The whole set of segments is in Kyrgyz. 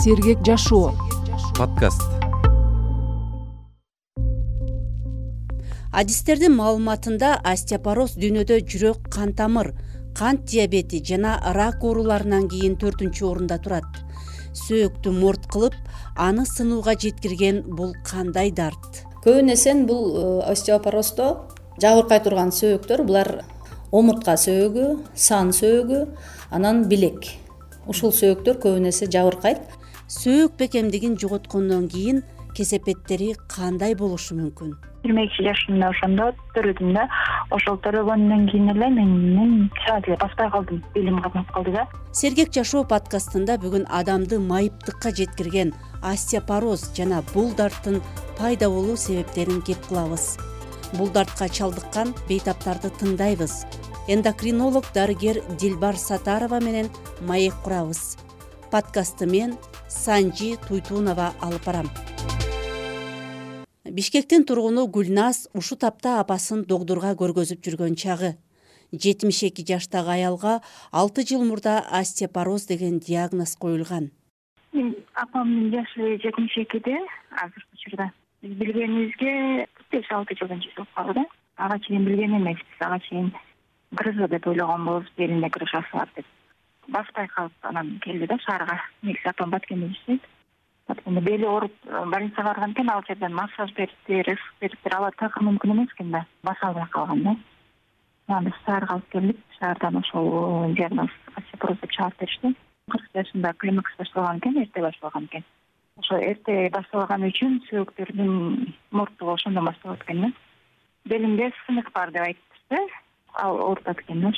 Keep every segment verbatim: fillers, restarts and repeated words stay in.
Сергек жашоо подкаст. Адистердин маалыматында остеопороз дүйнөдө жүрөк кан тамыр, кант диабети жана рак ооруларынан кийин төртүнчү орунда турат. Сөөктү морт кылып, аны сынууга жеткирген бул кандай дарт? Көбүнесе бул остеопороздо жабыркай турган сөөктөр булар омуртка сөөгү, сан сөөгү, анан билек. Ушул сөөктөр көбүнесе жабыркайт. Сөөк бекемдигин жоготкондон кийин кесепеттери кандай болушу мүмкүн? жыйырма эки жашымда ошондо төрөдүм да, ошол төрөгөндөн кийин эле мен чаат эле баспай калдым, белим катнап калды да. Сергек жашоо подкастында бүгүн адамды майыптыкка жеткирген остеопороз жана бул дарттын пайда болуу себептерин кеп кылабыз. Бул дартка чалдыккан бейтаптарды тыңдайбыз. Эндокринолог дарыгер Дилбар Сатарова менен маек курабыз. Подкастты мен Санжи Туйтунова алып барам. Бишкектин тургуну Гүлназ ушу тапта апасын докторго көргөзүп жүргөн чагы. жетимиш эки жаштагы аялга алты жыл мурда остеопороз деген диагноз коюлган. Апамдын жашы жетимиш экиде азыркы учурда. Биз билгенибизге беш алты жылдан болуп калды да. Ага чейин билген эмеспиз, ага чейин грыжа деп ойлогон болобуз, белинде грыжасы бар деп. Баспай калып анан келди да шаарга. Негизи апам Баткенде иштейт. Баткенде бели ооруп больницага барган экен, ал жерден массаж бериптир, эсик бериптир, ала такыр мүмкүн эмес экен да. Баса албай калган да. Анан биз шаарга алып келдик. Шаардан ошол диагноз остеопороз деп чыгарып беришти. кырк жашында климакс башталган экен, эрте башталган экен. Ошо эрте башталган үчүн сөөктөрдүн морттугу ошондон башталат экен да. Белимде сынык бар деп айтышты. Ал оорутат экен да.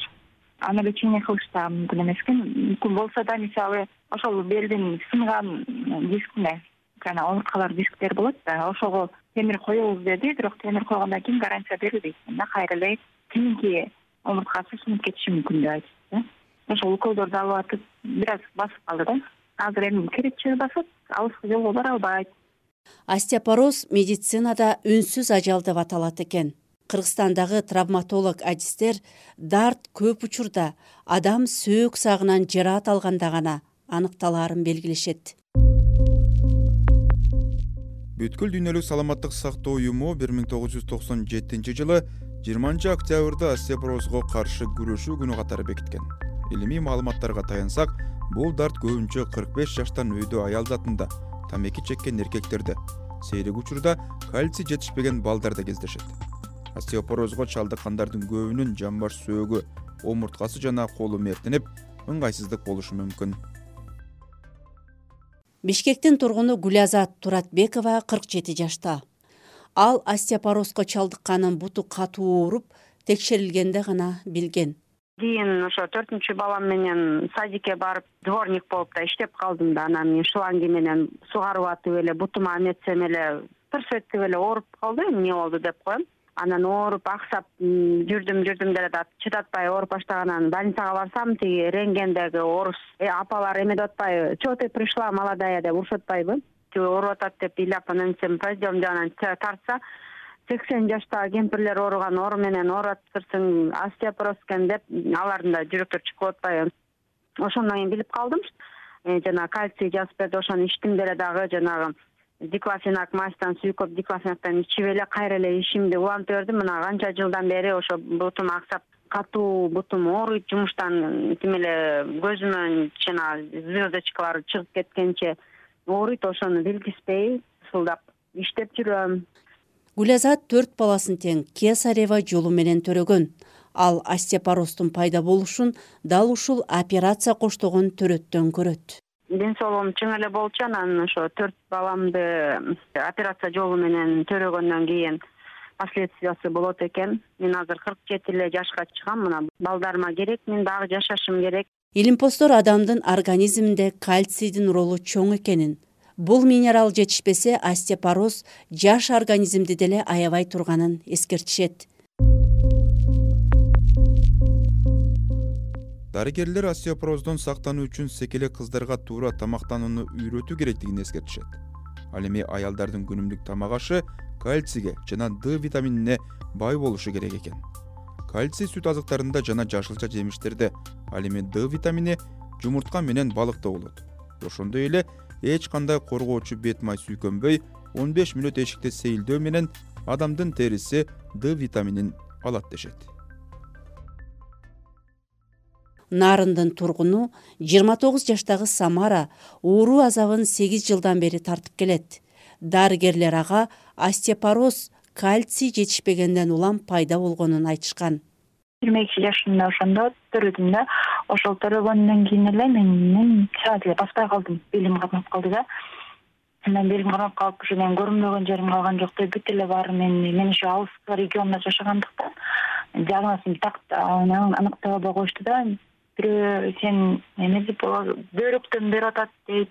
Аны лечение кылыш да мүмкүн эмес экен. Мүмкүн болсо да, мисалы, ошол белдин сынган дискине, жана омурткалар дисктер болот да, ошого темир коебуз деди, бирок темир койгондон кийин гарантия берилбейт да, кайра эле кийинки омурткасы сынып кетиши мүмкүн деп айтышты да. Ошол уколдорду алып атып, бир аз басып калды да. Азыр эми керекчи басат, алыскы жолго бара албайт. Остеопороз медицинада үнсүз ажал деп аталат экен. Кыргызстандагы травматолог адистер дарт көп учурда адам сөөк сагынан жараат алганда гана аныкталаарын белгилешет. Бүткүл дүйнөлүк саламаттык сактоо уюму бир миң тогуз жүз токсон жетинчи жылы жыйырманчы октябрда остеопорозго каршы күрөшүү күнү катары бекиткен. Илимий маалыматтарга таянсак, бул дарт көбүнчө кырк беш жаштан өйдө аял затында, тамеки чеккен эркектерде, сейрек учурда кальций жетишпеген балдарда кездешет. Остеопорозго чалдыккандардын көбүнүн жамбаш сөөгү, омурткасы жана колу мертинип, ыңгайсыздык болушу мүмкүн. Бишкектин тургуну Гүлазат Туратбекова кырк жети жашта. Ал остеопорозго чалдыкканын буту катуу ооруп, текшерилгенде гана билген. Кийин ошо төртүнчү балам менен садикке барып, дворник болуп да иштеп калдым да, анан мен шланги менен сугарып атып эле бутума эметсем эле тырс этип эле ооруп калды, эмне болду деп коем. Анан ооруп аксап жүрдүм жүрдүм деле да чыдатпай ооруп баштаганан больницага барсам, тиги рентгендеги орус апалар эме деп атпайбы, чего ты пришла, молодая деп урушуп атпайбы, ооруп атат деп ыйлап анан сен пойдем деп анан тартса, сексен жаштагы кемпирлер ооруган оору менен ооратыптырсың, остеопороз экен деп алардын да жүрөктөрү чыгып атпайбы. Ошондон кийин билип калдым. Жана кальций жазып берди, ошону ичтим деле дагы, жанагы диклофенак мастан сүйкөп диклофенактан ичип эле кайра эле ишимди улантып бердим. Мына канча жылдан бери ошо бутум аксап, катуу бутум ооруйт, жумуштан тим эле көзүмөн жана звездочкалар чыгып кеткенче ооруйт, ошону билгизбей ысылдап иштеп жүрөм. Гүлазат төрт баласын тең кесарева жолу менен төрөгөн. Ал остеопороздун пайда болушун дал ушул операция коштогон төрөттөн көрөт. Ден соолугум чың эле болчу, анан ошо төрт баламды операция жолу менен төрөгөндөн кийин последствиясы болот экен. Мен азыр кырк жети эле жашка чыгам, мына балдарыма керек, мен дагы жашашым керек. Илимпоздор адамдын организминде кальцийдин ролу чоң экенин, бул минерал жетишпесе остеопороз жаш организмди деле аябай турганын эскертишет. Дарыгерлер остеопороздон сактануу үчүн секелек кыздарга туура тамактанууну үйрөтүү керектигин эскертишет. Ал эми аялдардын күнүмдүк тамак ашы кальцийге жана Д витаминине бай болушу керек экен. Кальций сүт азыктарында жана жашылча жемиштерде, ал эми Д витамини жумуртка менен балыкта болот. Ошондой эле эч кандай коргоочу бет май сүйкөнбөй он беш мүнөт эшикте сейилдөө менен адамдын териси Д витаминин алат дешет. Нарындын тургуну жыйырма тогуз жаштагы Самара оору азабын сегиз жылдан бери тартып келет. Дарыгерлер ага остеопороз, кальций жетишпегенден улам пайда болгонун айтышкан. жыйырма эки жашымда ошондо төрөдүм да, ошол төрөгөндөн кийин эле мен саат эле баспай калдым, белим кармап калды да. Анан белим кармап калып, ушу мен көрүнбөгөн жерим калган жок деп бүт эле баары мен мен ошо алыскы региондо жашагандыктан диагнозун так аныктап албай коюшту да. Бирөө сен эмеси бөйрөктөн берип атат дейт,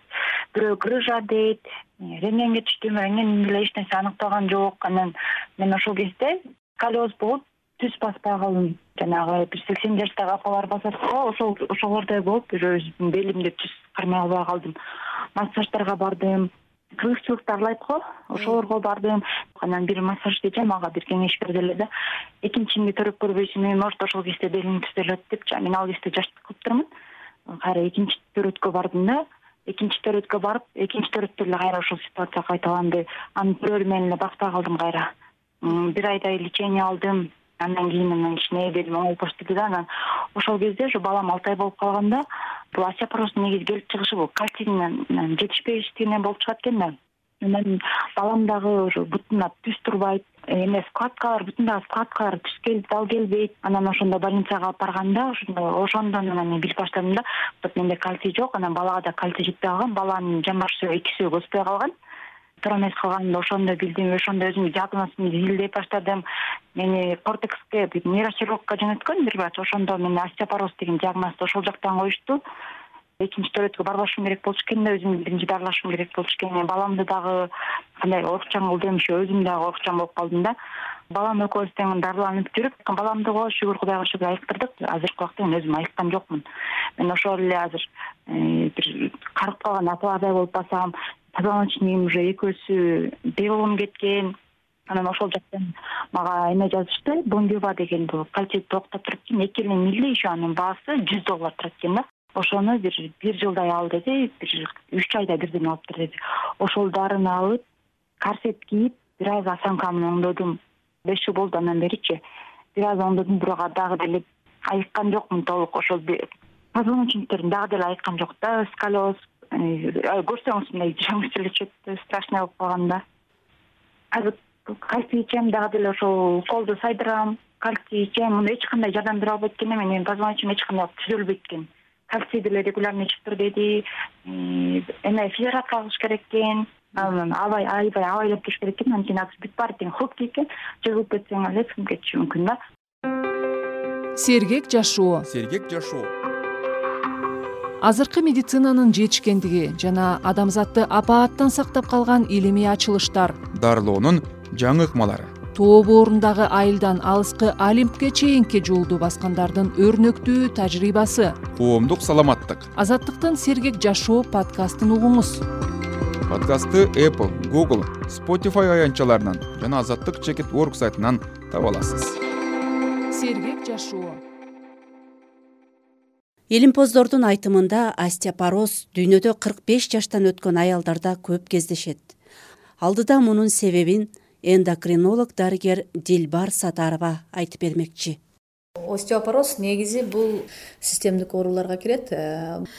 бирөө грыжа дейт, рентгенге түштүм, рентген деле эч нерсе аныкталган жок. Анан мен ошол кезде сколиоз болуп түз баспай калдым. Жанагы бир сексен жаштагы апалар басат го, ошол ошолордой болуп бир өзүмдүн белимди түз кармай албай калдым. Массаждарга бардым, кыргызчылык тарлайт го, ошолорго бардым. Анан бир массажчы мага бир кеңеш берди эле да. Экинчиңди төрөп көрбөйсүңбү, может ошол кезде белиң түзөлөт деп, мен ал кезде жаштык кылыптырмын. Кайра экинчи төрөткө бардым да. Экинчи төрөткө барып, экинчи төрөттө эле кайра ошол ситуация кайталанды. Анын төрөлү менен эле баспай калдым кайра. Бир айдай лечение алдым. Андан кийин мен кичине белим оңолуп баштады да. Анан ошол кезде ушу балам алты ай болуп калганда, бул остеопороздун негизи келип чыгышы бул кальцийдин жетишпештигинен болуп чыгат экен да. Анан балам дагы ошо бутуна түз турбайт, эме складкалар, бутундагы складкалар түз келип дал келбейт. Анан ошондо больницага алып барганда, ошондо ошондон анан мен билип баштадым да, вот менде кальций жок, анан балага да кальций жетпей калган, баланын жамбаш сөөгү эки сөөгү өспөй калган. Туура эмес калганымда ошондо билдим, ошондо өзүм диагнозумду изилдеп баштадым. Мени кортекске бир нейрохирургка жөнөткөн бир врач, ошондо мени остеопороз деген диагнозду ошол жактан коюшту. Экинчи төрөткө барбашым керек болчу экен да, өзүмдү биринчи дарылашым керек болчу экен. Баламды дагы кандай орукчан кылдым, ошо өзүм дагы орукчан болуп калдым да. Балам экөөбүз тең дарыланып жүрүп, баламды го шүгүр Кудайга шүгүр айыктырдык. Азыркы убакта мен өзүм айыккан жокмун. Мен ошол эле азыр бир карып калган апалардай болуп басам. Позвоночнигим уже экөөсү белгим кеткен. Анан ошол жактан мага эме жазышты, бомбива деген бул кальцийди токтоп турат экен, эки эле милли, еще анын баасы жүз доллар турат экен да. Ошону бир бир жылдай ал деди, бир үч айда бирден алыптыр деди. Ошол дарыны алып, корсет кийип, бир аз осанкамды оңдодум. беш жыл болду андан беричи. Бир аз оңдодум, бирок дагы деле айыккан жокмун толук. Ошол позвоночниктерин дагы деле айыккан жок да, сколиоз. Көрсөңүз мындай жаңы эле чөптү, страшный болуп калган да. Азыр кальций ичем, дагы деле ошол колду сайдырам, кальций ичем, муну эч кандай жардам бере албайт экен, менин позвоночнигим эч кандай түзөлбөйт экен. Кальций деле регулярно ичип тур деди, эме физиотерапия кылыш керек экен, анан абай айбай абайлап туруш керек экен, анткени азыр бүт баары тең хок экен, жыгылып кетсең эле сынып кетиши мүмкүн да. Сергек жашоо. Сергек жашоо. Азыркы медицинанын жетишкендиги жана адамзатты апааттан сактап калган илимий ачылыштар, Дарылоонун жаңы ыкмалары. тоо боорундагы айылдан алыскы Олимпке чейинки жолду баскандардын өрнөктүү тажрыйбасы. Коомдук саламаттык. Азаттыктын Сергек жашоо подкастын угуңуз. Подкастты Apple, Google, Spotify аянтчаларынан жана азаттык чекит точка орг сайтынан таба аласыз. Сергек жашоо. Илимпоздордун айтымында остеопороз дүйнөдө кырк беш жаштан өткөн аялдарда көп кездешет. Алдыда мунун себебин эндокринолог дарыгер Дилбар Сатарова айтып бермекчи. Остеопороз негизи бул системдик ооруларга кирет.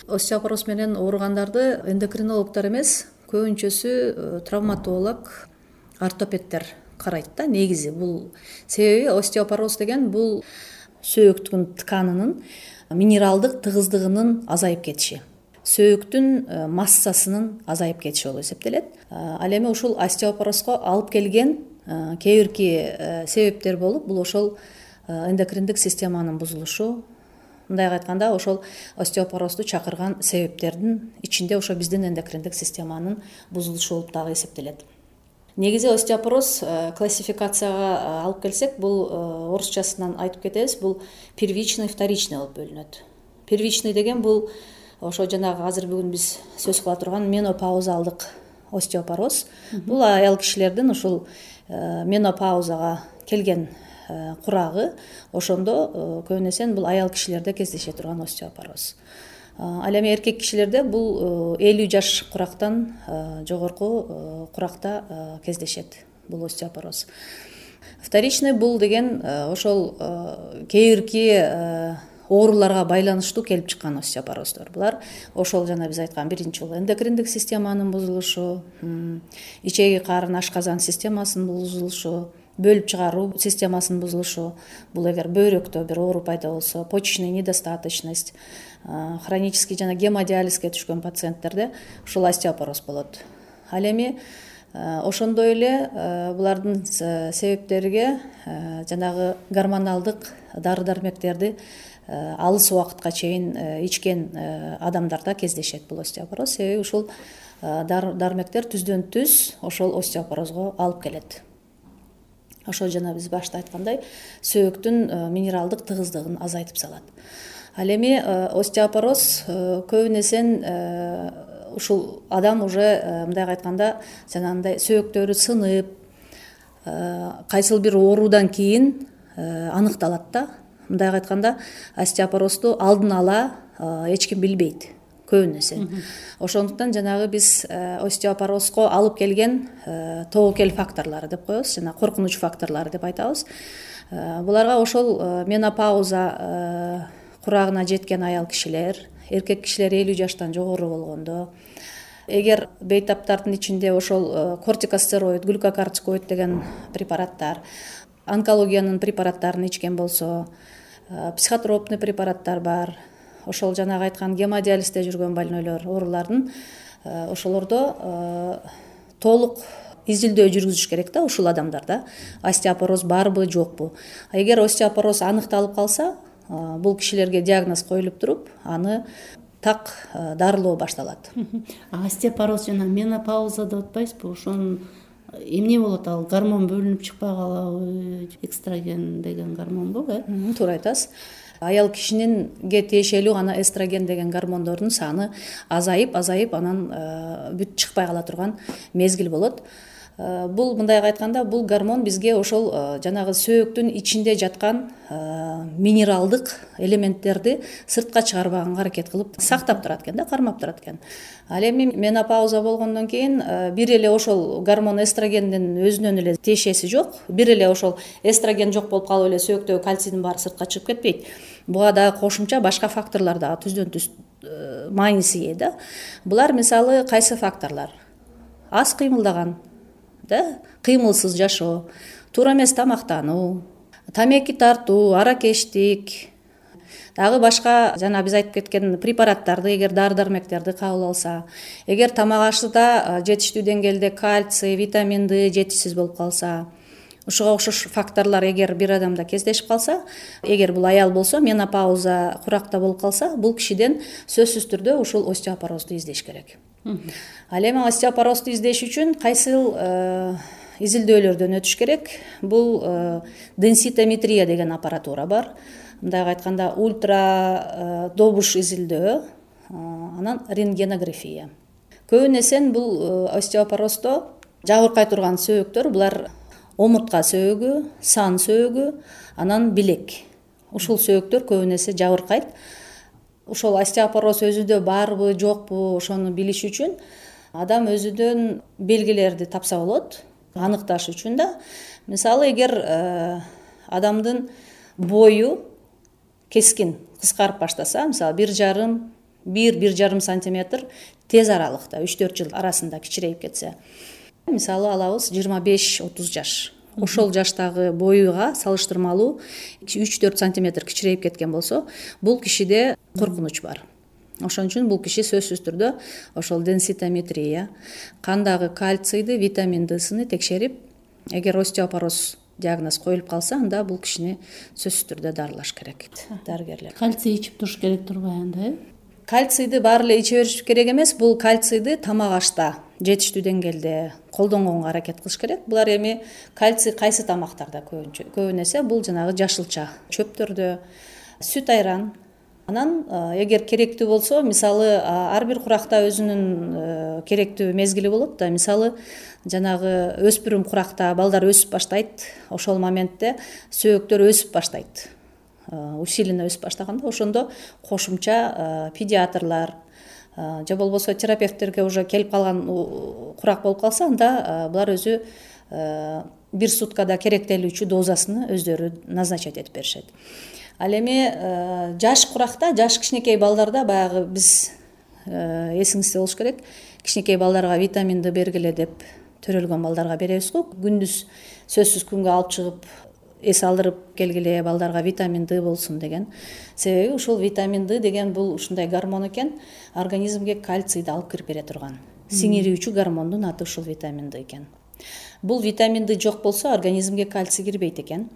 Остеопороз менен ооругандарды эндокринологдор эмес, көбүнчөсү травматолог, ортопедтер карайт да. Негизи бул себеби остеопороз деген бул сөөктүн тканынын минералдык тыгыздыгынын азайып кетиши, сөөктүн массасынын азайып кетиши болуп эсептелет. Ал эми ушул остеопорозго алып келген кээ бирки себептер болуп, бул ошол эндокриндик системанын бузулушу. Мындайга айтканда, ошол остеопорозду чакырган себептердин ичинде ошо биздин эндокриндик системанын бузулушу болуп дагы эсептелет. Негизи остеопороз классификацияга алып келсек, бул орусчасынан айтып кетебиз, бул первичный, вторичный болуп бөлүнөт. Первичный деген бул ошо жанагы азыр бүгүн биз сөз кыла турган менопаузалдык остеопороз. Бул аял кишилердин ушул менопаузага келген курагы, ошондо көбүнесе бул аял кишилерде кездеше турган остеопороз. Ал эми эркек кишилерде бул элүү жаш курактан жогорку куракта кездешет бул остеопороз. Вторичный бул деген ошол кээ бирки ооруларга байланыштуу келип чыккан остеопороздор. Булар ошол жана биз айткан биринчи бул эндокриндик системанын бузулушу, ичеги карын ашказан системасынын бузулушу, бөлүп чыгаруу системасынын бузулушу. Бул эгер бөйрөктө бир оору пайда болсо, почечный недостаточность, хронический жана гемодиализге түшкөн пациенттерде ушул остеопороз болот. Ал эми ошондой эле булардын себептериге жанагы гормоналдык дары дармектерди алыс убакытка чейин ичкен адамдарда кездешет бул остеопороз. Себеби ушул дармектер түздөн түз ошол остеопорозго алып келет. Ошол жана биз башта айткандай сөөктүн минералдык тыгыздыгын азайтып салат. Ал эми остеопороз көбүн эсен ушул адам уже мындайга айтканда жанагындай сөөктөрү сынып, кайсыл бир оорудан кийин аныкталат да. Мындайга айтканда остеопорозду алдын ала эч ким билбейт көбүн эсен. Ошондуктан жанагы биз остеопорозго алып келген тобокел факторлору деп коебуз, жана коркунуч факторлору деп айтабыз. Буларга ошол менопауза курагына жеткен аял кишилер, эркек кишилер элүү жаштан жогору болгондо, эгер бейтаптардын ичинде ошол кортикостероид, глюкокортикоид деген препараттар, онкологиянын препараттарын ичкен болсо, психотропный препараттар бар, ошол жанагы айткан гемодиализде жүргөн больнойлор, оорулардын ошолордо толук изилдөө жүргүзүш керек да ушул адамдарда остеопороз барбы жокпу. Эгер остеопороз аныкталып калса, бул кишилерге диагноз коюлуп туруп, аны так дарылоо башталат. Остеопороз жана менопауза деп атпайсызбы? Ошонун эмне болот? Ал гормон бөлүнүп чыкпай калабы? Экстраген деген гормонбу, э? Туура айтасыз. Аял кишининге тиешелүү гана эстроген деген гормондордун саны азайып, азайып анан бүт чыкпай кала турган мезгил болот. Бул мындайга айтканда бул гормон бизге ошол жанагы сөөктүн ичинде жаткан минералдык элементтерди сыртка чыгарбаганга аракет кылып сактап турат экен да, кармап турат экен. Ал эми менопауза болгондон кийин бир эле ошол гормон эстрогендин өзүнөн эле тиешеси жок. Бир эле ошол эстроген жок болуп калып эле сөөктөгү кальцийдин баары сыртка чыгып кетпейт. Буга дагы кошумча башка факторлор дагы түздөн түз мааниси ээ да. Булар мисалы кайсы факторлор? Аз кыймылдаган, да, кыймылсыз жашоо, туура эмес тамактануу, тамеки тартуу, аракечтик, дагы башка жана биз айтып кеткен препараттарды, эгер дары дармектерди кабыл алса, эгер тамак ашында жетиштүү деңгээлде кальций, витамин Д жетишсиз болуп калса, ушуга окшош факторлор эгер бир адамда кездешип калса, эгер бул аял болсо, менопауза куракта болуп калса, бул кишиден сөзсүз түрдө ушул остеопорозду издеш керек. Ал эми остеопорозду издеш үчүн кайсыл изилдөөлөрдөн өтүш керек? Бул денситометрия деген аппаратура бар. Мындайга айтканда ультра добуш изилдөө, анан рентгенография. Көбүн эсен бул остеопороздо жабыркай турган сөөктөр, булар омуртка сөөгү, сан сөөгү, анан билек. Ушул сөөктөр көбүн эсе жабыркайт. Ошол остеопороз өзүдө барбы, жокпу, ошону билиш үчүн адам өзүдөн белгилерди тапса болот, аныкташ үчүн да. Мисалы, эгер адамдын бою кескин кыскарып баштаса, мисалы бир жарым, бир бир жарым сантиметр тез аралыкта, үч төрт жыл арасында кичирейип кетсе, мисалы алабыз жыйырма беш отуз жаш. Ошол жаштагы боюга салыштырмалуу үч төрт сантиметр кичирейип кеткен болсо, бул кишиде коркунуч бар. Ошон үчүн бул киши сөзсүз түрдө ошол денситометрия, кандагы кальцийди, витамин Д'сыны текшерип, эгер остеопороз диагноз коюлуп калса, анда бул кишини сөзсүз түрдө дарылаш керек дарыгерлер. Кальций ичип туруш керек турбайбы анда, э? Кальцийди баары эле иче бериш керек эмес, бул кальцийди тамак ашта жетиштүү деңгээлде колдонгонго аракет кылыш керек. Булар эми кальций кайсы тамактарда көбүнчө? Көбүн эсе бул жанагы жашылча чөптөрдө, сүт айран. Анан эгер керектүү болсо, мисалы ар бир куракта өзүнүн керектүү мезгили болот да. Мисалы жанагы өспүрүм куракта балдар өсүп баштайт, ошол моментте сөөктөр өсүп баштайт. усиленно өсүп баштаганда ошондо кошумча педиатрлар же болбосо терапевттерге уже келип калган курак болуп калса, анда булар өзү бир суткада керектелүүчү дозасын өздөрү назначать этип беришет. Ал эми жаш куракта, жаш кичинекей балдарда баягы биз эсиңизде болуш керек, кичинекей балдарга витамин Д бергиле деп төрөлгөн балдарга беребиз го. Күндүз сөзсүз күнгө алып чыгып эс алдырып келгиле, балдарга витамин Д болсун деген. Себеби ушул витамин Д деген бул ушундай гормон экен, организмге кальцийди алып кирип бере турган. Сиңирүүчү гормондун аты ушул витамин Д экен. Бул витамин Д жок болсо организмге кальций кирбейт экен.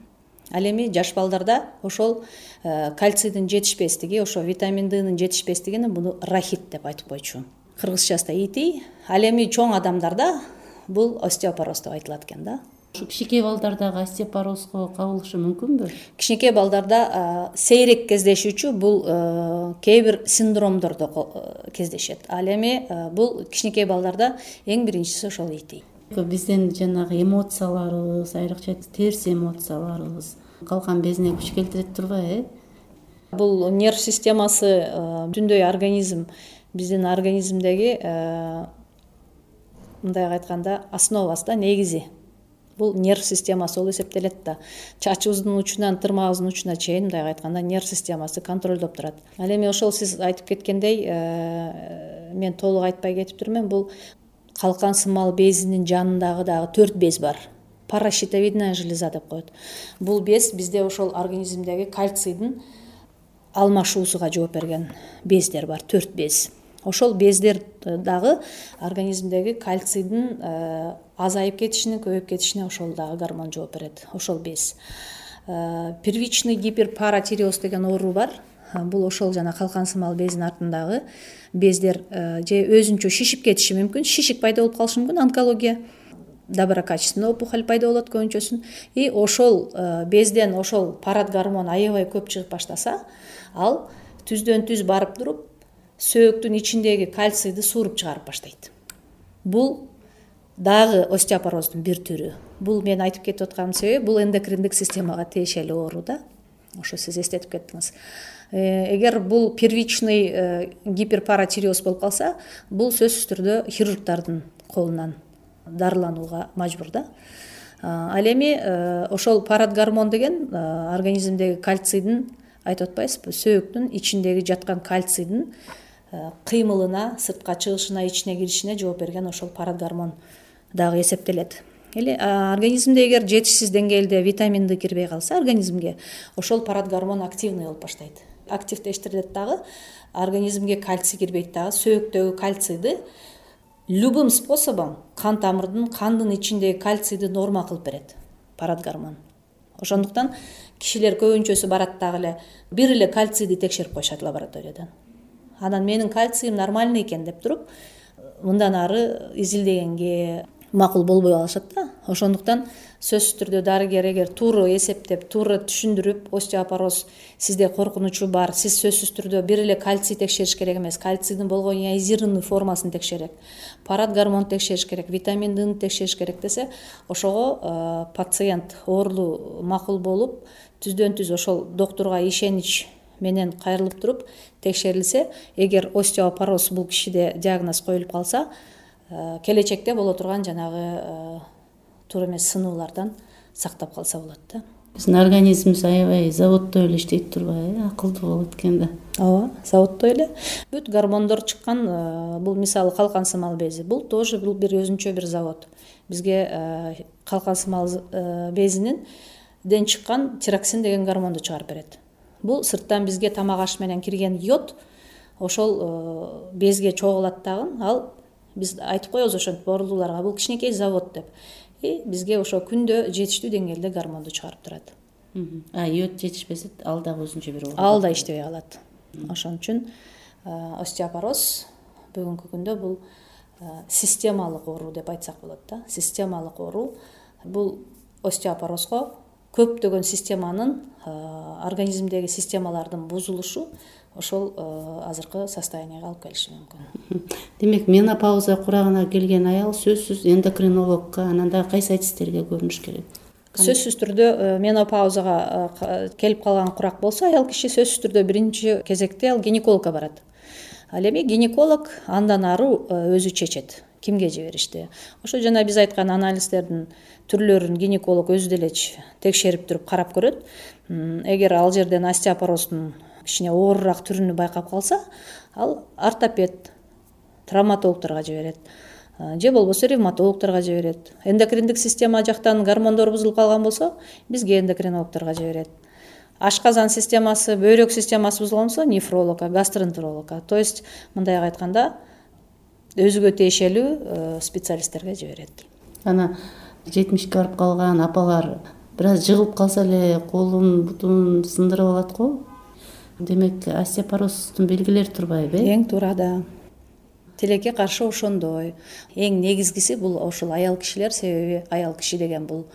Ал эми жаш балдарда ошол кальцийдин жетишпестиги, ошо витамин Днын жетишпестигини буну рахит деп айтып койчу. Кыргызчасы ити. Ал эми чоң адамдарда бул остеопороз деп айтылат экен да. Ушу кичинекей балдардагы остеопорозго кабылышы мүмкүнбү? Кичинекей балдарда сейрек кездешүүчү бул кээ бир синдромдордо кездешет. Ал эми бул кичинекей балдарда эң биринчиси ошол ити. Биздин жанагы эмоцияларыбыз, айрыкча терс эмоцияларыбыз калкан безине күч келтире турбайбы? Бул нерв системасы бүтүндөй организм, биздин организмдеги мындай айтканда основасы да, негизи. Бул нерв системасы болуп эсептелет да. Чачыбыздын учунан тырмагыбыздын учуна чейин мындай айтканда нерв системасы контролдоп турат. Ал эми ошол сиз айтып кеткендей, мен толук айтпай кетиптирмин, бул калкан сымал безинин жанындагы дагы төрт без бар. Паращитовидная железа деп коет. Бул без бизде ошол организмдеги кальцийдин алмашуусуга жооп берген бездер бар, төрт без. Ошол бездер дагы организмдеги кальцийдин азайып кетишине, көбөйүп кетишине ошол дагы гормон жооп берет, ошол без. Первичный гиперпаратиреоз деген оору бар. Бул ошол жана калкан сымал безинин артындагы бездер же өзүнчө шишип кетиши мүмкүн, шишик пайда болуп калышы мүмкүн, онкология, доброкачественный опухоль пайда болот көбүнчөсүн. И ошол безден ошол парат гормон аябай көп чыгып баштаса, ал түздөн түз барып туруп сөөктүн ичиндеги кальцийди сууруп чыгарып баштайт. Бул дагы остеопороздун бир түрү. Бул мен айтып кетип атканымдын себеби, бул эндокриндик системага тиешелүү оору да. Ошо сиз эстетип кеттиңиз. Эгер бул первичный гиперпаратиреоз болуп калса, бул сөзсүз түрдө хирургдардын колунан дарыланууга мажбур да. Ал эми ошол парат гормон деген организмдеги кальцийдин, айтып атпайсызбы, сөөктүн ичиндеги жаткан кальцийдин кыймылына, сыртка чыгышына, ичине киришине жооп берген ошол парат гормон дагы эсептелет. Или организмде эгер жетишсиз деңгээлде витамин Д кирбей калса организмге, ошол парат гормон активный болуп баштайт. Активдештирилет дагы, организмге кальций кирбейт дагы, сөөктөгү кальцийди любым способом кан тамырдын, кандын ичиндеги кальцийди норма кылып берет парат гормон. Ошондуктан кишилер көбүнчөсү барат дагы эле бир эле кальцийди текшерип коюшат лабораториядан. Анан менин кальциym нормальный экен деп туруп, мындан ары изилдегенге макул болбой алышат да. Ошондуктан сөзсүз түрдө дарыгер эгер туура эсептеп, туура түшүндүрүп, остеопороз сизде коркунучу бар, сиз сөзсүз түрдө бир эле кальций текшериш керек эмес, кальцийдин болгон ионизированный формасын текшерет, парат гормон текшериш керек, витамин Дны текшериш керек десе, ошого пациент оорулуу макул болуп, түздөн түз ошол доктурга ишенич менен кайрылып туруп текшерилсе, эгер остеопороз бул кишиде диагноз коюлуп калса, келечекте боло турган жанагы туура эмес сынуулардан сактап калса болот да. Биздин организмибиз аябай заводдой эле иштейт турбайбы, акылдуу болуп эткенде. Ооба, заводдой эле. Бүт гормондор чыккан, бул мисалы калкан сымал бези, бул тоже бул бир өзүнчө бир завод. Бизге калкан сымал безинин ден чыккан тироксин деген гормонду чыгарып берет. Бул сырттан бизге тамак аш менен кирген йод ошол безге чогулат дагы, ал биз айтып коебуз ошентип оорулууларга бул кичинекей завод деп. И бизге ошо күндө жетиштүү деңгээлде гормонду чыгарып турат. А йод жетишпесе, ал дагы өзүнчө бир оору. Ал да иштебей калат. Ошон үчүн остеопороз бүгүнкү күндө бул системалык оору деп айтсак болот да. Системалык оору бул остеопорозго көптөгөн системанын, организмдеги системалардын бузулушу ошол азыркы состоянияга алып келиши мүмкүн. Демек, менопауза курагына келген аял сөзсүз эндокринологко, анан дагы кайсы адистерге көрүнүш керек? сөзсүз түрдө менопаузага келип калган курак болсо аял киши сөзсүз түрдө биринчи кезекте ал гинекологко барат. Ал эми гинеколог андан ары өзү чечет кимге жиберишти. Ошо жана биз айткан анализдердин түрлөрүн гинеколог өзү деле текшерип туруп карап көрөт. Эгер ал жерден остеопороздун кичине оорураак түрүнү байкап калса, ал ортопед, травматологдорго жиберет же болбосо ревматологдорго жиберет. Эндокриндик система жактан гормондор бузулуп калган болсо, бизге эндокринологдорго жиберет. Ашказан системасы, бөйрөк системасы бузулган болсо, нефрологко, гастроэнтерологко. То есть мындайга айтканда өзүгө тиешелүү специалисттерге жиберет. Ана жетимишке барып калган апалар бир аз жыгылып калса эле колун, бутун сындырып алат го. Демек, остеопороздун белгилери турбайбы? Эң туура да. Тилекке каршы ошондой. Эң негизгиси бул ошол аял кишилер, себеби аял киши деген бул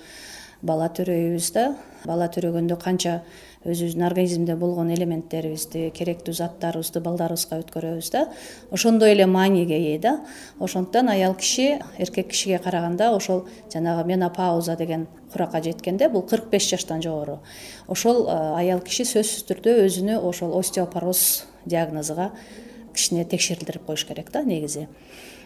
бала төрөйбүз да. Бала төрөгөндө канча өзүбүздүн организмде болгон элементтерибизди, керектүү заттарыбызды балдарыбызга өткөрөбүз да. Ошондой эле мааниге ээ да. Ошондуктан аял киши эркек кишиге караганда ошол жанагы менопауза деген куракка жеткенде, бул кырк беш жаштан жогору, ошол аял киши сөзсүз түрдө өзүнө ошол остеопороз диагнозуга кичине текшерилдирип коюш керек да негизи.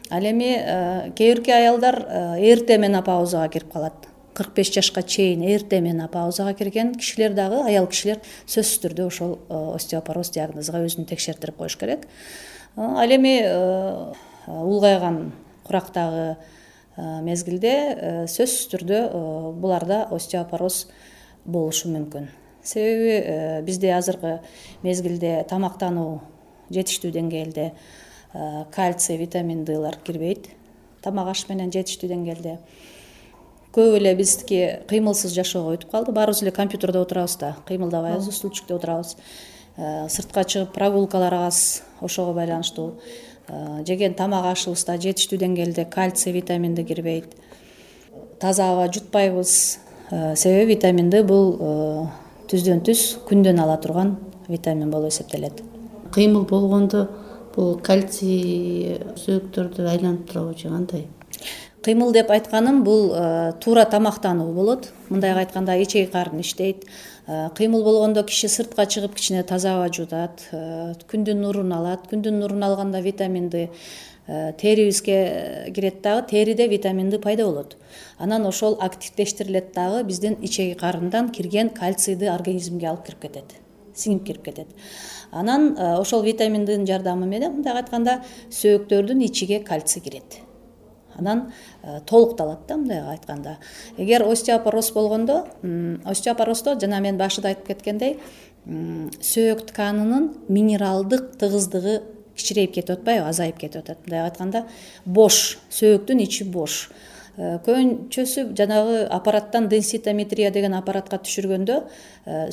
Ал эми кээ бирки аялдар эрте менопаузага кирип калат. кырк беш жашка чейин эрте менопаузага кирген кишилер дагы, аял кишилер сөзсүз түрдө ошол остеопороз диагнозуга өзүн текшертирип коюш керек. Ал эми улгайган курактагы мезгилде сөзсүз түрдө буларда остеопороз болушу мүмкүн. Себеби бизде азыркы мезгилде тамактануу жетиштүү деңгээлде кальций, витамин Д'лар кирбейт. Тамак аш менен жетиштүү деңгээлде. Көп эле биздики кыймылсыз жашоого өтүп калды. Баарыбыз эле компьютерде отурабыз да, кыймылдабайбыз, стульчикте отурабыз. Сыртка чыгып прогулкаларыбыз ошого байланыштуу. Жеген тамак ашыбызда жетиштүү деңгээлде кальций, витамин Д кирбейт. Таза аба жутпайбыз. Себеби витамин Д бул түздөн түз күндөн ала турган витамин болуп эсептелет. Кыймыл болгондо бул кальций сөөктөрдү айланып турабы же кандай? Кыймыл деп айтканым бул туура тамактануу болот. Мындайга айтканда ичеги карын иштейт. Кыймыл болгондо киши сыртка чыгып кичине таза аба жутат, күндүн нурун алат. Күндүн нурун алганда витамин Д терибизге кирет дагы, териде витамин Д пайда болот. Анан ошол активдештирилет дагы, биздин ичеги карындан кирген кальцийди организмге алып кирип кетет, сиңип кирип кетет. Анан ошол витамин Д'нын жардамы менен мындайга айтканда сөөктөрдүн ичиге кальций кирет. Анан толукталат да мындайга айтканда. Эгер остеопороз болгондо, остеопороздо жана мен башында айтып кеткендей, сөөк тканынын минералдык тыгыздыгы кичирейип кетип атпайбы, азайып кетип атат. Мындайга айтканда бош, сөөктүн ичи бош. Көбүнчөсү жанагы аппараттан денситометрия деген аппаратка түшүргөндө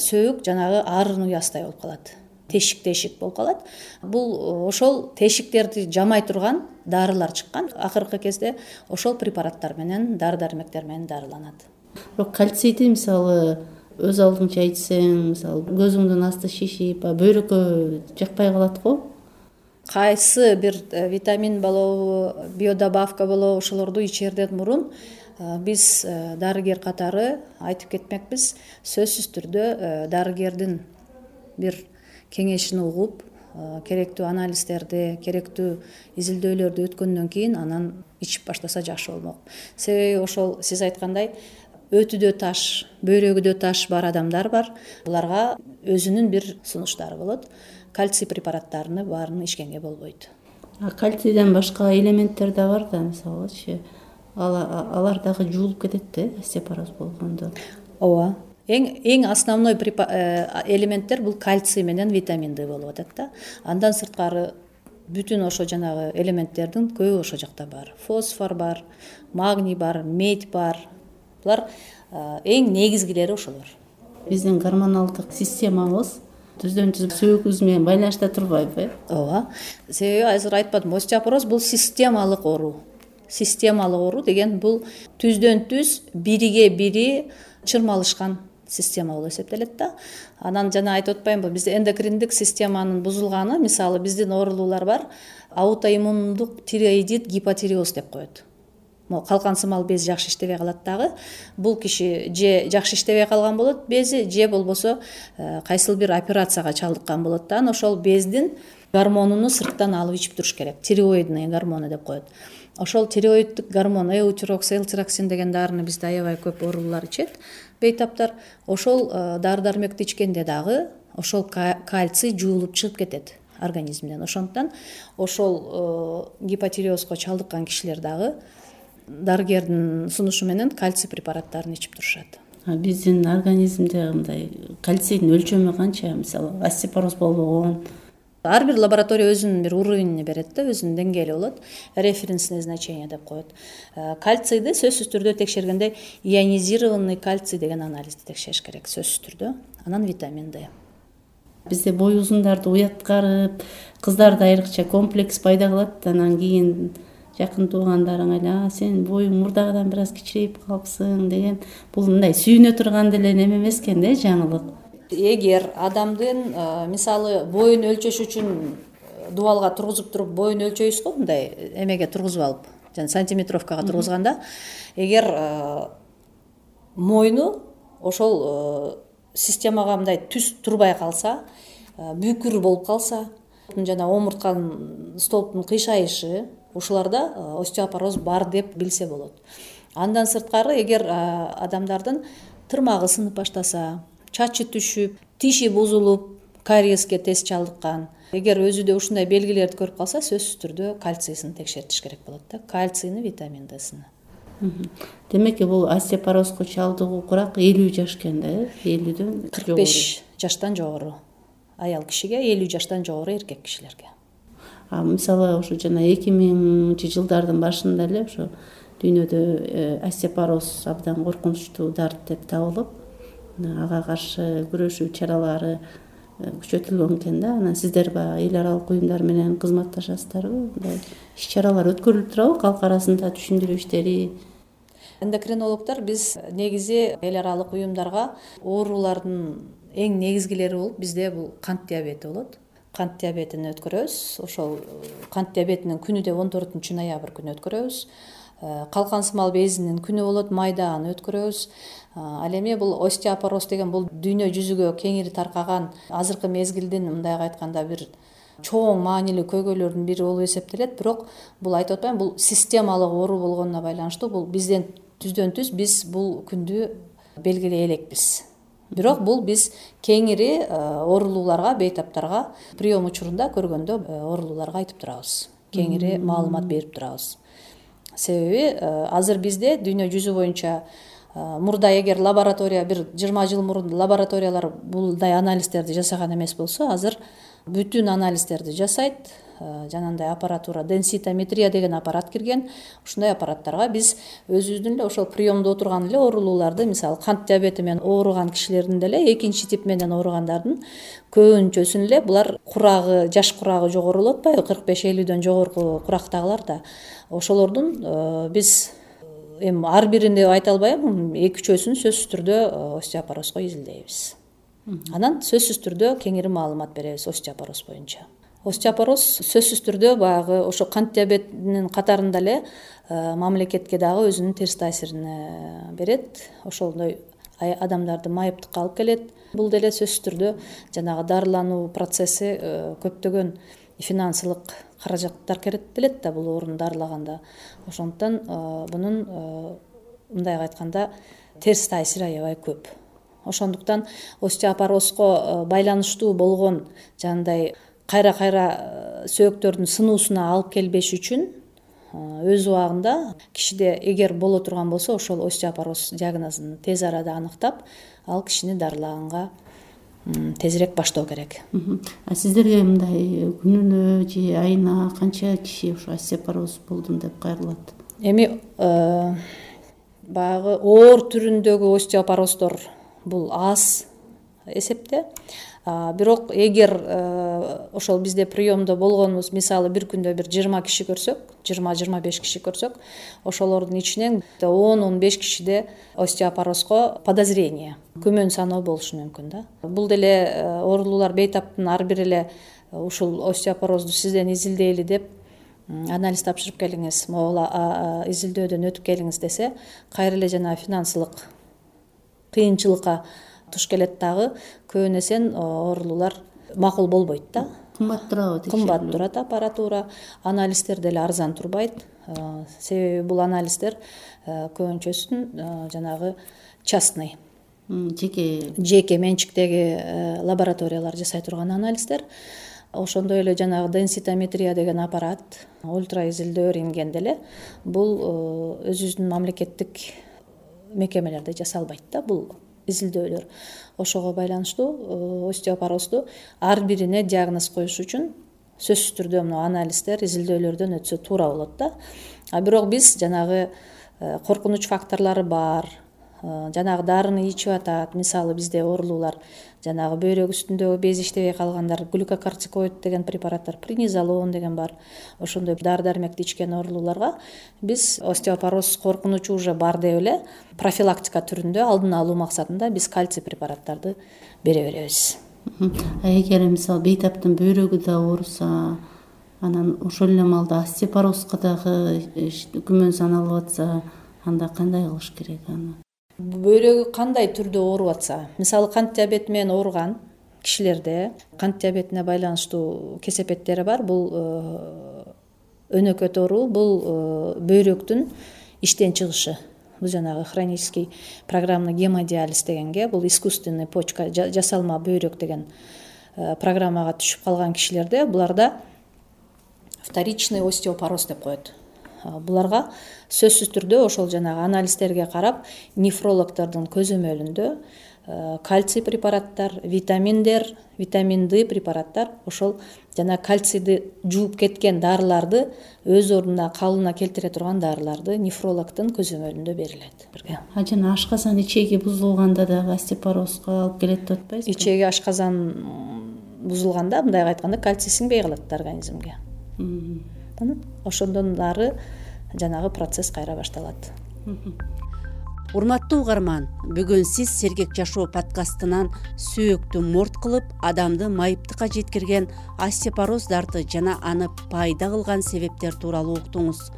сөөк жанагы арын уястай болуп калат. Тешик-тешик болуп калат. Бул ошол тешиктерди жамай турган дарылар чыккан. Акыркы кезде ошол препараттар менен, дары-дармектер менен дарыланат. Бирок кальцийди мисалы өз алдыңча ичсең, мисалы көзүңдүн асты шишип, бөйрөккө жакпай калат го. Кайсы бир витамин болобу, биодобавка болобу, ошолорду ичерден мурун биз дарыгер катары айтып кетмекпиз. Сөзсүз түрдө дарыгердин бир кеңешин угуп, керектүү анализдерди, керектүү изилдөөлөрдү өткөндөн кийин анан ичип баштаса жакшы болмок. Себеби ошол сиз айткандай өтүдө таш, бөйрөгүдө таш бар адамдар бар. Буларга өзүнүн бир сунуштары болот. Кальций препараттарыны баарын ичкенге болбойт. Кальцийден башка элементтер да бар да, мисалычы алар дагы жуулуп кетет да, остеопороз болгондо. Ооба. Эң эң основной элементтер бул кальций менен витамин Д болуп атат да. Андан сырткары бүтүн ошо жанагы элементтердин көбү ошо жакта бар. Фосфор бар, магний бар, медь бар. Булар эң негизгилери ошолор. Биздин гормоналдык системабыз түздөн түз сөөкүбүз менен байланышта турбайбы? Ооба. Себеби азыр айтпадым, остеопороз бул системалык оору. Системалык оору деген бул түздөн түз бириге бири чырмалышкан система болуп эсептелет да. Анан жана айтып атпаймынбы, бизде эндокриндик системанын бузулганы, мисалы биздин оорулуулар бар, аутоиммундук тиреоидит гипотиреоз деп коет. могу калкан сымал без жакшы иштебей калат дагы. Бул киши же жакшы иштебей калган болот бези, же болбосо кайсыл бир операцияга чалдыккан болот да. Анан ошол бездин гормонуну сырттан алып ичип туруш керек. Тиреоидный гормону деп коет. Ошол тиреоиддик гормон эутирокс, элтироксин деген дарыны бизде аябай көп оорулуулар ичет, бейтаптар. Ошол дары дармекти ичкенде дагы ошол кальций жуулуп чыгып кетет организмден. Ошондуктан ошол гипотиреозго чалдыккан кишилер дагы дарыгердин сунушу менен кальций препараттарын ичип турушат. Биздин организмде мындай кальцийдин өлчөмү канча? Мисалы остеопороз болбогон ар бир лаборатория өзүнүн бир уровенин берет да, өзүнүн деңгээли болот. Референсное значение деп коет. Кальцийди сөзсүз түрдө текшергенде ионизированный кальций деген анализди текшериш керек сөзсүз түрдө. Анан витамин Д. Бизде бой узундарды уяткарып, кыздарда айрыкча комплекс пайда кылат. Анан кийин жакын туугандарың эле сен боюң мурдагыдан бир аз кичирейип калыпсың деген, бул мындай сүйүнө турган деле неме эмес экен да, жаңылык. Эгер адамдын мисалы боюн өлчөш үчүн дубалга тургузуп туруп боюн өлчөйбүз го, мындай эмеге тургузуп алып, жана сантиметровкага тургузганда, эгер мойну ошол системага мындай түз турбай калса, бүкүр болуп калса, жана омуртканын столбтун кыйшайышы, ушуларда остеопороз бар деп билсе болот. Андан сырткары, эгер адамдардын тырмагы сынып баштаса, чачы түшүп, тиши бузулуп, кариеске тез чалдыккан, эгер өзүдө ушундай белгилерди көрүп калса, сөзсүз түрдө кальцийсин текшертиш керек болот да, кальцийни, витамин Д'син. Демек, бул остеопорозго чалдыгуу курак элүү жаш экен да, элүүдөн кырк беш жаштан жогору аял кишиге, элүү жаштан жогору эркек кишилерге. А мисалы ошо жана эки миңинчи жылдардын башында эле ошо дүйнөдө остеопороз абдан коркунучтуу дарт деп табылып, ага каршы күрөшүү чаралары күчөтүлгөн экен да. Анан сиздер баягы эл аралык уюмдар менен кызматташасыздарбы? Мындай иш чаралар өткөрүлүп турабы, калк арасында түшүндүрүү иштери? Эндокринологдор биз негизи эл аралык уюмдарга оорулардын эң негизгилери болуп, бизде бул кант диабети болот. Кант диабетин өткөрөбүз. Ошол кант диабетинин күнү деп он төртүнчү ноябрь күнү өткөрөбүз. Калкан сымал безинин күнү болот, майда аны өткөрөбүз. Ал эми бул остеопороз деген бул дүйнө жүзүгө кеңири таркаган азыркы мезгилдин мындайга айтканда бир чоң маанилүү көйгөйлөрдүн бири болуп эсептелет. Бирок бул айтып атпайм, бул системалык оору болгонуна байланыштуу. Бул бизден түздөн түз биз бул күндү белгилей элекпиз. Бирок бул биз кеңири оорулууларга, бейтаптарга прием учурунда көргөндө оорулууларга айтып турабыз. Кеңири маалымат берип турабыз. Себеби азыр бизде дүйнө жүзү боюнча мурда эгер лаборатория бир жыйырма жыл мурун лабораториялар булдай анализдерди жасаган эмес болсо, азыр бүтүн анализдерди жасайт. Жанагындай аппаратура, денситометрия деген аппарат кирген. Ушундай аппараттарга биз өзүбүздүн эле ошол приемдо отурган эле оорулууларды, мисалы кант диабети менен ооруган кишилердин деле экинчи тип менен ооругандардын көбүнчөсүн эле булар курагы, жаш курагы жогору болуп атпайбы, кырк беш элүүдөн жогорку курактагылар да. Ошолордун биз эми ар бирин деп айта албайм, эки үчөөсүн сөзсүз түрдө остеопорозго изилдейбиз. Анан сөзсүз түрдө кеңири маалымат беребиз остеопороз боюнча. Остеопороз сөзсүз түрдө баягы ошо кант диабетинин катарында эле мамлекетке дагы өзүнүн терс таасирин берет. Ошондой адамдарды майыптыкка алып келет. Бул деле сөзсүз түрдө жанагы дарылануу процесси көптөгөн финансылык каражаттар керектелет да бул оорун дарылаганда. Ошондуктан бунун мындайга айтканда терс таасири аябай көп. Ошондуктан остеопорозго байланыштуу болгон жандай кайра-кайра сөөктөрдүн сынуусуна алып келбеш үчүн өз убагында кишиде эгер боло турган болсо, ошол остеопороз диагнозун тез арада аныктап, ал кишини дарылаганга тезирээк баштоо керек. А сиздерге мындай күнүнө же айына канча киши ошо остеопороз болдум деп кайрылат? Эми баягы оор түрүндөгү остеопороздор бул аз эсепте. Бирок эгер ошол бизде приемдо болгонубуз, мисалы бир күндө бир жыйырма киши көрсөк, жыйырма жыйырма беш киши көрсөк, ошолордун ичинен он он беш кишиде остеопорозго подозрение, күмөн саноо болушу мүмкүн да. Бул деле оорулуулар бейтаптын ар бири эле ушул остеопорозду сизден изилдейли деп анализ тапшырып келиңиз, могул изилдөөдөн өтүп келиңиз десе, кайра эле жана финансылык кыйынчылыкка туш келет дагы, көбүнесе оорулуулар макул болбойт да. Кымбат турабы? Кымбат турат аппаратура, анализдер деле арзан турбайт. Себеби бул анализдер көбүнчөсүн жанагы частный, жеке жеке менчиктеги лабораториялар жасай турган анализдер. Ошондой эле жанагы денситометрия деген аппарат, ультра изилдөө рентген деле бул өзүбүздүн мамлекеттик мекемелерде жасалбайт да бул изилдөөлөр. Ошого байланыштуу остеопорозду ар бирине диагноз коюш үчүн сөзсүз түрдө мына анализдер, изилдөөлөрдөн өтсө туура болот да. А бирок биз жанагы коркунуч факторлору бар, жанагы дарыны ичип атат. Мисалы бизде оорулуулар жанагы бөйрөк үстүндөгү без иштебей калгандар, глюкокортикоид деген препараттар, принизолон деген бар. Ошондой дары дармекти ичкен оорулууларга биз остеопороз коркунучу уже бар деп эле профилактика түрүндө алдын алуу максатында биз кальций препараттарды бере беребиз. Эгер мисалы бейтаптын бөйрөгү да ооруса, анан ошол эле маалда остеопорозго дагы күмөн саналып атса, анда кандай кылыш керек аны? Бөйрөгү кандай түрдө ооруп атса, мисалы кант диабети менен ооруган кишилерде кант диабетине байланыштуу кесепеттери бар. Бул өнөкөт оору, бул бөйрөктүн иштен чыгышы. Бул жанагы хронический программный гемодиализ дегенге, бул искусственный почка, жасалма бөйрөк деген программага түшүп калган кишилерде буларда вторичный остеопороз деп коет. Буларга сөзсүз түрдө ошол жанагы анализдерге карап, нефрологдордун көзөмөлүндө кальций препараттар, витаминдер, витамин Д препараттар, ошол жана кальцийди жууп кеткен дарыларды өз ордуна калыбына келтире турган дарыларды нефрологдун көзөмөлүндө берилет. А жана ашказан ичеги бузулганда дагы остеопорозго алып келет деп атпайсызбы? Ичеги ашказан бузулганда, мындай айтканда, кальций сиңбей калат организмге. Ошондон ары жанагы процесс кайра башталат. Урматтуу угарман, бүгүн сиз Сергек жашоо подкастынан сөөктү морт кылып, адамды майыптыкка жеткирген остеопороз дарты жана аны пайда кылган себептер тууралуу уктуңуз.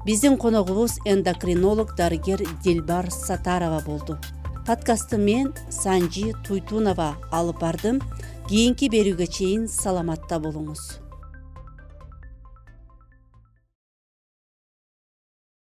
Биздин коногубуз эндокринолог дарыгер Дилбар Сатарова болду. Подкастты мен Санжи Туйтунова алып бардым. Кийинки берүүгө чейин саламатта болуңуз.